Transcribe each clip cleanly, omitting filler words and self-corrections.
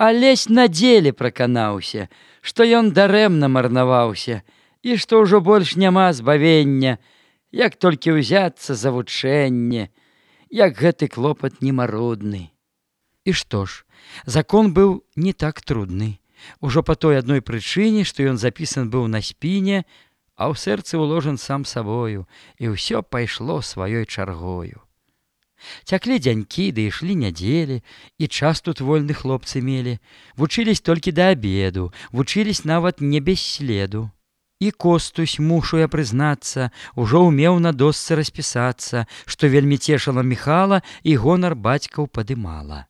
Алесь на деле праканаўся, што ён дарэмна марнаваўся і што ўжо больш няма збавення, як толькі ўзяцца за вучэнне, як гэты клопат немарудны. І што ж, закон быў не так трудны. Ужо па той адной прычыне, што ён запісан быў на спіне, а ў сэрцы ўложан сам сабою, і ўсё пайшло сваёй чаргою. Цяклі дзянькі, ды ішлі нядзелі, і час тут вольны хлопцы мелі, вучылись толькі да абеду, вучылись нават не без следу. І Костусь, мушу я прызнацца, ужо ўмеў на досцы распісацца, што вельмі цешыла Міхала і гонар бацькаў падымала.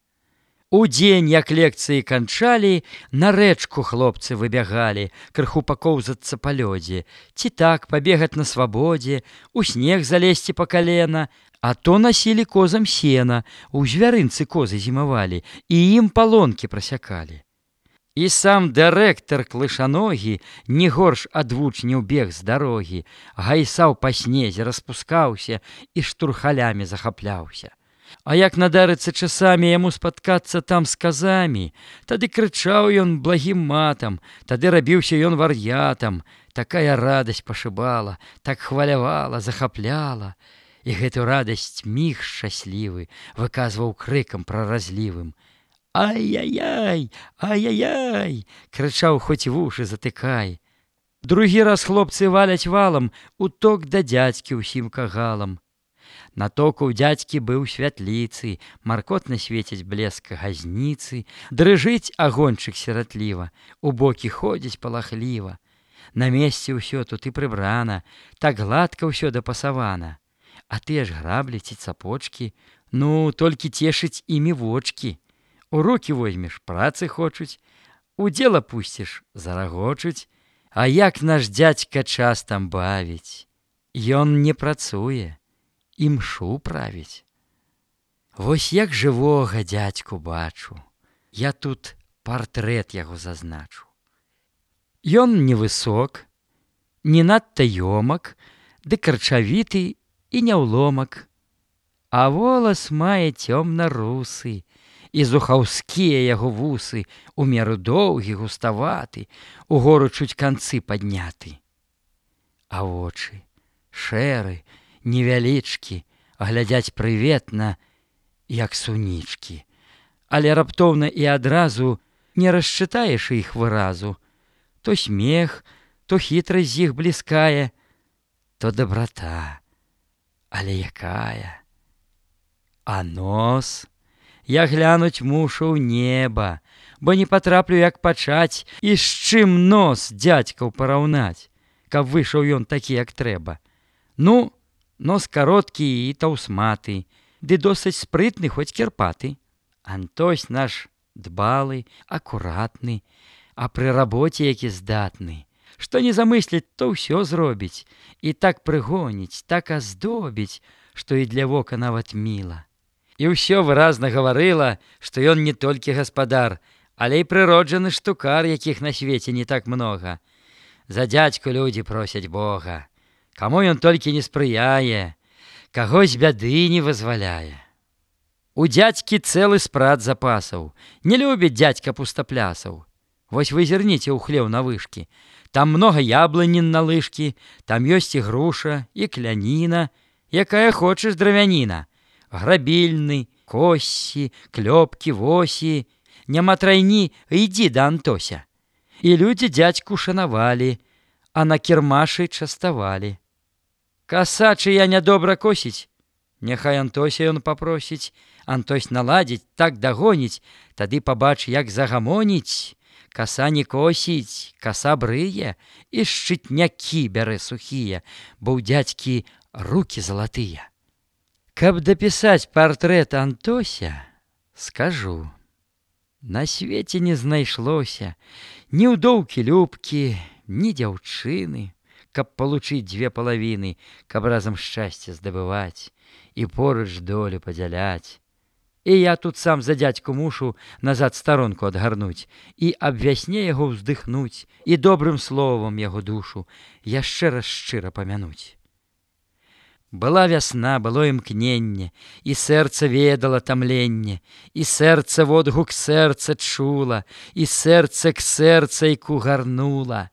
Удзень, як лекцыі канчалі, на рэчку хлопцы выбягалі, крыху пакоўзацца па лёдзе, ці так пабегаць на свабодзе, у снег залезці па калена, а то насілі козам сена, у звярынцы козы зімавалі, і ім палонкі прасякалі. І сам дырэктар клышаногі, не горш ад вучняў бег з дарогі, гайсаў па снезе, распускаўся і штурхалямі захапляўся. А як надарыцца часамі яму спаткацца там з казамі, тады крычаў ён благім матам, тады рабіўся ён вар'ятам. Такая радасць пашыбала, так хвалявала, захапляла. І гэту радасць міг шчаслівы выказваў крыкам праразлівым. «Ай-яй-яй, ай-яй-яй!» крычаў, хоць вушы затыкай. Другі раз хлопцы валяць валам, уток да дзядзькі ўсім кагалам. Натоку ў дзядзькі быў святліцы, маркотна свеціць блеск газніцы, дрыжыць агоньчык сіратліва, у бокі ходзіць палахліва. На месцы ўсё тут і прыбрана, так гладка ўсё дапасавана. А тыя ж граблі ці цапочкі, ну, толькі цешыць імі вочкі. У рукі возьмеш, працы хочуць, у дзела пусціш, зарагочуць. А як наш дзядзька час там бавіць? Ён не працуе, імшу правіць. Вось як жывога дзядзьку бачу, я тут партрэт яго зазначу. Ён невысок, не надта ёмак, ды карчавіты і няўломак, а волас мае цёмна-русы, і зухаўскія яго вусы у меру доўгі, густаваты, угору чуць канцы падняты. А вочы шэры, невялічкі, глядзяць прыветна, як сунічкі. Але раптоўна і адразу не расчытаеш іх выразу. То смех, то хітрасць з іх бліскае, то дабрата. Але якая? А нос? Я глянуць мушу ў неба, бо не патраплю, як пачаць, і з чым нос дзядзькаў параўнаць, каб выйшаў ён такі, як трэба. Ну, нос кароткі і таўсматы, ды досыць спрытны, хоць кірпаты. Антось наш дбалы, акуратны, а пры рабоце які здатны. Што не замысліць, то ўсё зробіць, і так прыгоніць, так аздобіць, што і для вока нават міла. І ўсё выразна гаварыла, што ён не толькі гаспадар, але і прыроджаны штукар, якіх на свеце не так многа. За дзядзьку людзі просяць Бога. Каму ён толькі не спрыяе, каго з бяды не вызваляе. У дзядзькі цэлы спрат запасаў, не любіць дзядзька пустаплясаў. Вось вы зірніце ў хлеў на вышкі. Там многа яблынін на лыжкі, там ёсць і груша, і кляніна, якая хочаш дравяніна. Грабільны, коссі, клёпкі, восі. Няма трайні, ідзі да Антося. І людзі дзядзьку шанавалі, а на кірмашы частавалі. Каса чыя нядобра косіць, няхай Антося ён папросіць. Антось наладзіць, так дагоніць, тады пабач, як загамоніць. Каса не косіць, каса брые, і шчытнякі бярэ сухія, бо ў дзядзькі рукі залатыя. Каб дапісаць партрэт Антося, скажу, на свеце не знайшлося ні ўдоўкі любкі, ні дзяўчыны, каб палучыць дзве палавіны, каб разам шчасце здабываць і поруч долю падзяляць. І я тут сам за дзядзьку мушу назад старонку адгарнуць і аб вясне яго ўздыхнуць і добрым словам яго душу яшчэ раз шчыра памянуць. Была вясна, было імкненне, і сэрца ведала тамленне, і сэрца водгук сэрца чула, і сэрца к сэрцайку гарнула.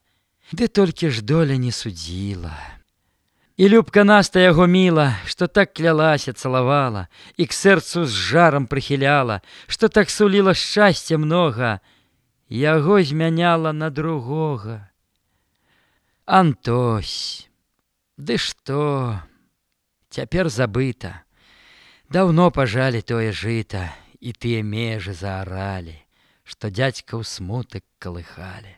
Ды толькі ж доля не судзіла. І любка Наста яго міла, што так клялася, цалавала, і к сэрцу з жарам прыхіляла, што так суліла шчасця многа, яго змяняла на другога. Антось, ды што? Цяпер забыта. Даўно пажалі тое жыта, і тыя межы зааралі, што дзядзька ў смутак калыхалі.